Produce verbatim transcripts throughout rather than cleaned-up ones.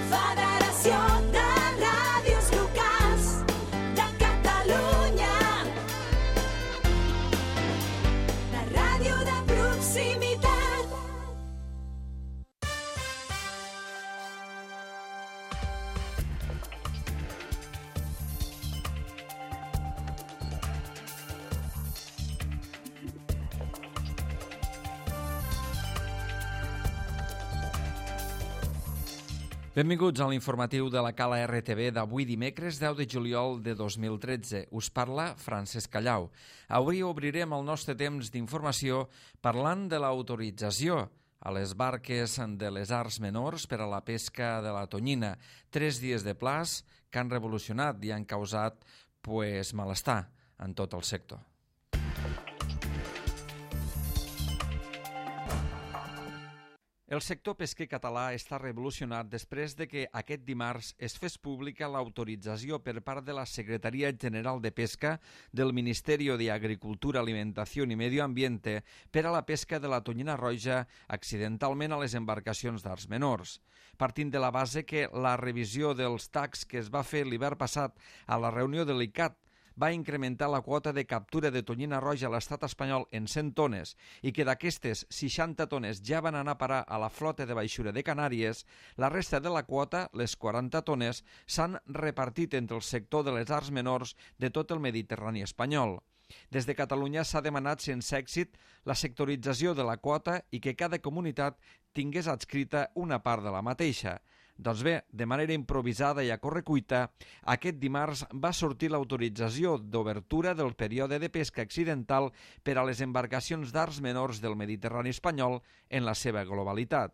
Federació de Ràdios Locals de Catalunya. La ràdio de proximitat. Benvinguts a l'informatiu de la Cala R T V d'avui dimecres deu de juliol de dos mil tretze. Us parla Francesc Callau. Avui obrirem el nostre temps d'informació parlant de l'autorització a les barques de les arts menors per a la pesca de la tonyina. Tres dies de plaç que han revolucionat i han causat pues, malestar en tot el sector. El sector pesquer català està revolucionat després de que aquest dimarts es fes pública l'autorització per part de la Secretaria General de Pesca del Ministeri d'Agricultura, Alimentació i Medio Ambiente per a la pesca de la tonyina roja accidentalment a les embarcacions d'arts menors. Partint de la base que la revisió dels tacs que es va fer l'hivern passat a la reunió de l'I C A T va incrementar la quota de captura de tonyina roja a l'estat espanyol en cent tones i que d'aquestes seixanta tones ja van anar a parar a la flota de baixura de Canàries, la resta de la quota, les quaranta tones, s'han repartit entre el sector de les arts menors de tot el Mediterrani espanyol. Des de Catalunya s'ha demanat sense èxit la sectorització de la quota i que cada comunitat tingués adscrita una part de la mateixa. Doncs bé, de manera improvisada i a correcuita, aquest dimarts va sortir l'autorització d'obertura del període de pesca accidental per a les embarcacions d'arts menors del Mediterrani espanyol en la seva globalitat.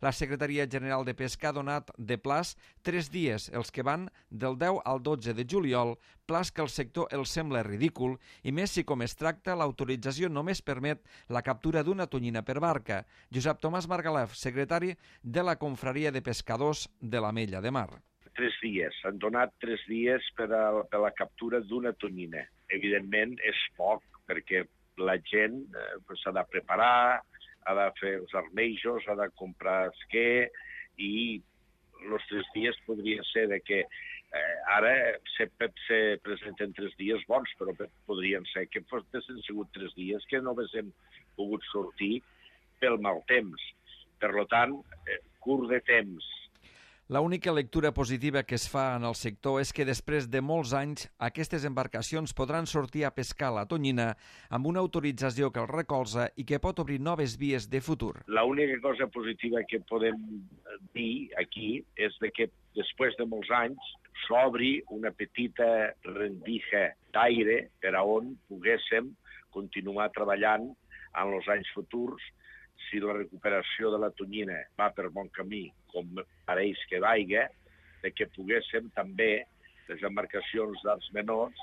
La Secretaria General de Pesca ha donat de plaç tres dies, els que van del deu al dotze de juliol, plaç que al sector els sembla ridícul, i més si com es tracta, l'autorització només permet la captura d'una tonyina per barca. Josep Tomàs Margalef, secretari de la Confraria de Pescadors de l'Ametlla de Mar. Tres dies, han donat tres dies per a, per a la captura d'una tonyina. Evidentment és poc, perquè la gent eh, s'ha de preparar, ha de fer els armejos, ha de comprar esquer i els tres dies podria ser de que eh, ara sempre se presenten tres dies bons, però podrien ser que fossin sigut tres dies que no haguéssim pogut sortir pel mal temps. Per tant, eh, curt de temps. La única lectura positiva que es fa en el sector és que després de molts anys aquestes embarcacions podran sortir a pescar la tonyina amb una autorització que els recolza i que pot obrir noves vies de futur. L'única cosa positiva que podem dir aquí és de que després de molts anys s'obri una petita rendija d'aire per a on poguéssim continuar treballant en els anys futurs. Si la recuperació de la tonyina va per bon camí, com pareix que vaiga, de que poguéssim també les embarcacions d'arts menors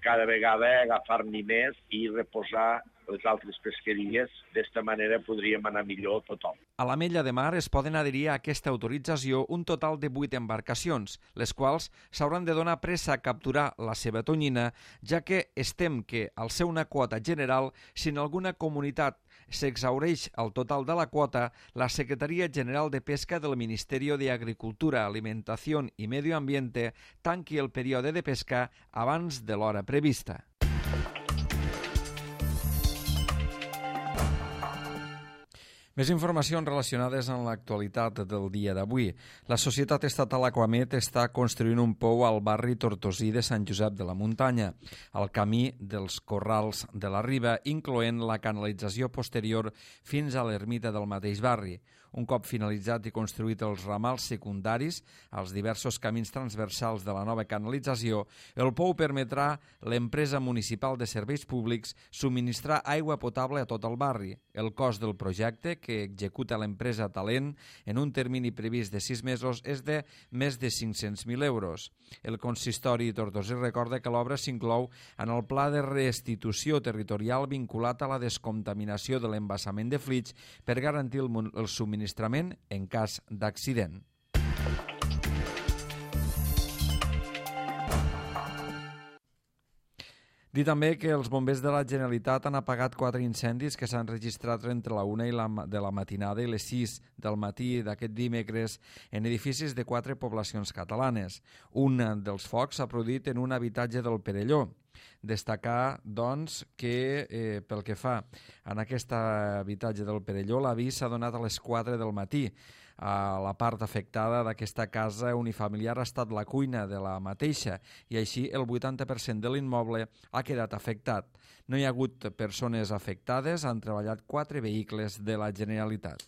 cada vegada agafar-n'hi més i reposar les altres pesqueries. D'esta manera podríem anar millor tothom. A l'Ametlla de Mar es poden adherir a aquesta autorització un total de vuit embarcacions, les quals s'hauran de donar pressa a capturar la seva tonyina, ja que estem que, al ser una quota general, si en alguna comunitat s'exhaureix el total de la quota, la Secretaria General de Pesca del Ministeri d'Agricultura, Alimentació i Medio Ambiente tanqui el període de pesca abans de l'hora prevista. Més informacions relacionades amb l'actualitat del dia d'avui. La societat estatal Aquamet està construint un pou al barri tortosí de Sant Josep de la Muntanya, al camí dels Corrals de la Riba, incloent la canalització posterior fins a l'ermita del mateix barri. Un cop finalitzat i construït els ramals secundaris als diversos camins transversals de la nova canalització, el pou permetrà a l'empresa municipal de serveis públics subministrar aigua potable a tot el barri. El cost del projecte, que executa l'empresa Talent en un termini previst de sis mesos, és de més de cinc-cents mil euros. El consistori tortosí recorda que l'obra s'inclou en el pla de restitució territorial vinculat a la descontaminació de l'embassament de Flix per garantir el, el subministrament en cas d'accident. Dir també que els bombers de la Generalitat han apagat quatre incendis que s'han registrat entre la una i la, de la matinada i les sis del matí d'aquest dimecres en edificis de quatre poblacions catalanes. Un dels focs s'ha produït en un habitatge del Perelló. Destacar, doncs, que eh, pel que fa en aquest habitatge del Perelló, l'avís s'ha donat a les quatre del matí. A la part afectada d'aquesta casa unifamiliar ha estat la cuina de la mateixa i així el vuitanta per cent de l'immoble ha quedat afectat. No hi ha hagut persones afectades, han treballat quatre vehicles de la Generalitat.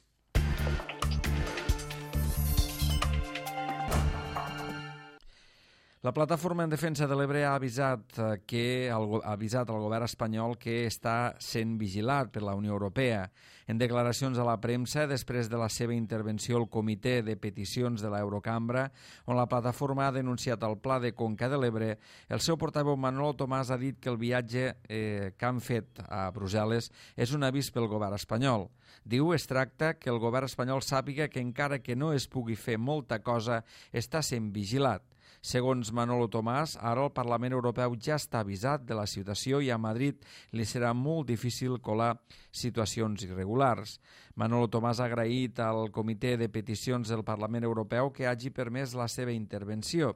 La Plataforma en Defensa de l'Ebre ha avisat, que, ha avisat al govern espanyol que està sent vigilat per la Unió Europea. En declaracions a la premsa, després de la seva intervenció al Comitè de Peticions de l'Eurocambra, on la plataforma ha denunciat el Pla de Conca de l'Ebre, el seu portaveu Manolo Tomàs ha dit que el viatge eh, que han fet a Brussel·les és un avís pel govern espanyol. Diu, es tracta que el govern espanyol sàpiga que encara que no es pugui fer molta cosa, està sent vigilat. Segons Manolo Tomàs, ara el Parlament Europeu ja està avisat de la situació i a Madrid li serà molt difícil colar situacions irregulars. Manolo Tomàs ha agraït al Comitè de Peticions del Parlament Europeu que hagi permès la seva intervenció.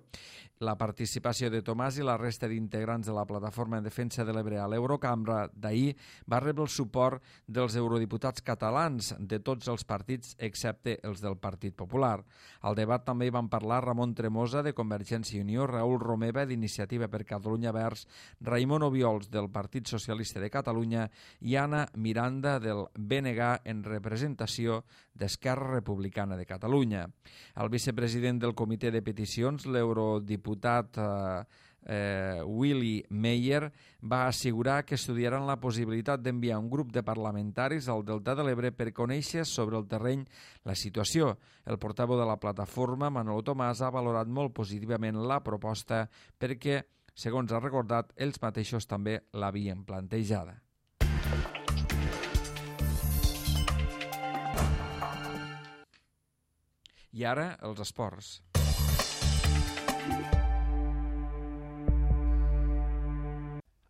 La participació de Tomàs i la resta d'integrants de la Plataforma en Defensa de l'Ebre a l'Eurocambra d'ahir va rebre el suport dels eurodiputats catalans de tots els partits excepte els del Partit Popular. Al debat també hi van parlar Ramon Tremosa de Convergència i Unió, Raül Romeva d'Iniciativa per Catalunya Verds, Raimon Obiols del Partit Socialista de Catalunya i Anna Miranda del B N G en representació d'Esquerra Republicana de Catalunya. El vicepresident del Comitè de Peticions, l'eurodiputat eh, eh, Willy Meyer, va assegurar que estudiaran la possibilitat d'enviar un grup de parlamentaris al Delta de l'Ebre per conèixer sobre el terreny la situació. El portaveu de la plataforma, Manolo Tomàs, ha valorat molt positivament la proposta perquè, segons ha recordat, ells mateixos també l'havien plantejada. I ara, els esports.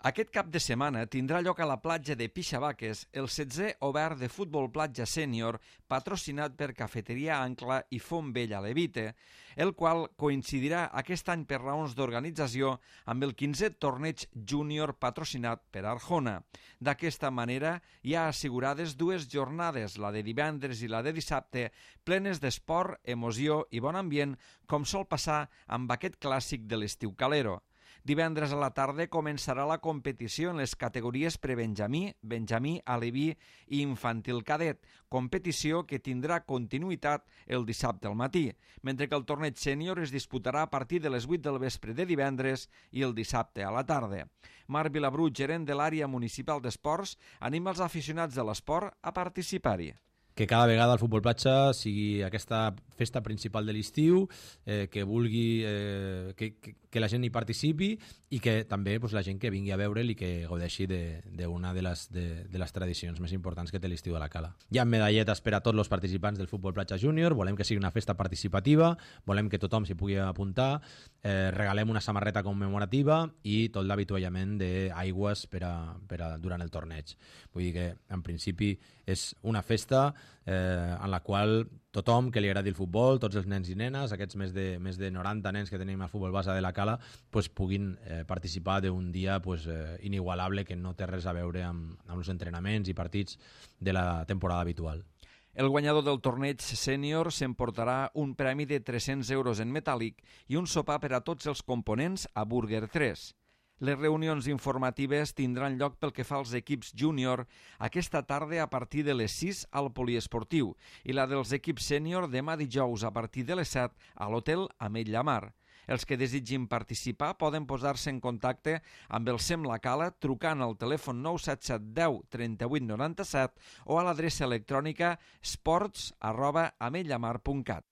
Aquest cap de setmana tindrà lloc a la platja de Pixabaques el setzè obert de futbol platja sènior patrocinat per Cafeteria Ancla i Font Vella Levite, el qual coincidirà aquest any per raons d'organització amb el quinzè torneig júnior patrocinat per Arjona. D'aquesta manera hi ha assegurades dues jornades, la de divendres i la de dissabte, plenes d'esport, emoció i bon ambient, com sol passar amb aquest clàssic de l'estiu calero. Divendres a la tarda començarà la competició en les categories prebenjamí, benjamí, aleví i infantil cadet, competició que tindrà continuïtat el dissabte al matí, mentre que el torneig sènior es disputarà a partir de les vuit del vespre de divendres i el dissabte a la tarda. Marc Vilabrú, gerent de l'àrea municipal d'esports, anima els aficionats de l'esport a participar-hi. Que cada vegada el futbol platja sigui aquesta festa principal de l'estiu, eh, que vulgui eh, que, que, que la gent hi participi i que també pues, la gent que vingui a veure'l i que gaudeixi d'una de, de, les, de, de les tradicions més importants que té l'estiu a la Cala. Hi ha medalletes per a tots els participants del futbol platja júnior, volem que sigui una festa participativa, volem que tothom s'hi pugui apuntar, eh, regalem una samarreta commemorativa i tot l'avituallament d'aigües per a, per a, durant el torneig. Vull dir que, en principi, és una festa eh, en la qual tothom que li agradi el futbol, tots els nens i nenes, aquests més de, més de noranta nens que tenim al futbol base de la Cala, pues, puguin eh, participar d'un dia pues, eh, inigualable que no té res a veure amb, amb els entrenaments i partits de la temporada habitual. El guanyador del torneig sènior s'emportarà un premi de tres-cents euros en metàl·lic i un sopar per a tots els components a Burger tres. Les reunions informatives tindran lloc pel que fa als equips júnior aquesta tarda a partir de les sis al poliesportiu i la dels equips sènior demà dijous a partir de les set a l'hotel Ametlla Mar. Els que desitgin participar poden posar-se en contacte amb el SEM La Cala trucant al telèfon nou set set deu trenta-vuit noranta-set o a l'adreça electrònica sports arroba ametlamar punt cat.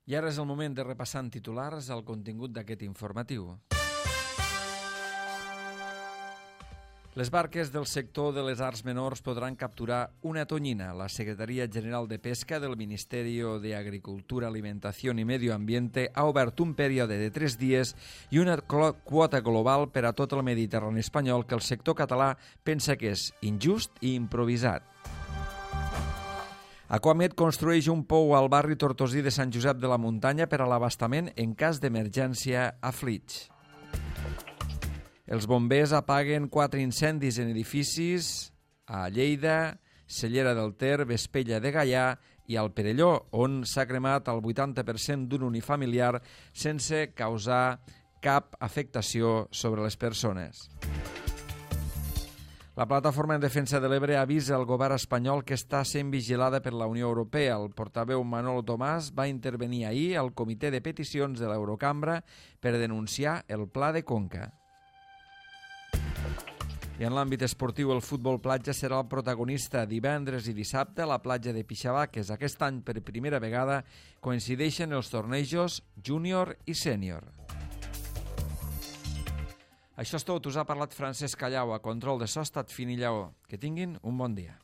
I ara és el moment de repassar en titulars el contingut d'aquest informatiu. Les barques del sector de les arts menors podran capturar una tonyina. La Secretaria General de Pesca del Ministeri de Agricultura, Alimentació i Medio Ambiente ha obert un període de tres dies i una quota global per a tot el Mediterrani espanyol que el sector català pensa que és injust i improvisat. Aquamed construeix un pou al barri tortosí de Sant Josep de la Muntanya per a l'abastament en cas d'emergència a Flix. Els bombers apaguen quatre incendis en edificis a Lleida, Cellera del Ter, Vespella de Gaià i al Perelló, on s'ha cremat el vuitanta per cent d'un unifamiliar sense causar cap afectació sobre les persones. La Plataforma en Defensa de l'Ebre avisa al govern espanyol que està sent vigilada per la Unió Europea. El portaveu Manolo Tomàs va intervenir ahir al Comitè de Peticions de l'Eurocambra per denunciar el Pla de Conca. I en l'àmbit esportiu, el futbol platja serà el protagonista. Divendres i dissabte a la platja de Pixavaques. Aquest any, per primera vegada, coincideixen els tornejos júnior i sènior. Això és tot. Us ha parlat Francesc Callau. A control de so ha estat Fini Lleó. Que tinguin un bon dia.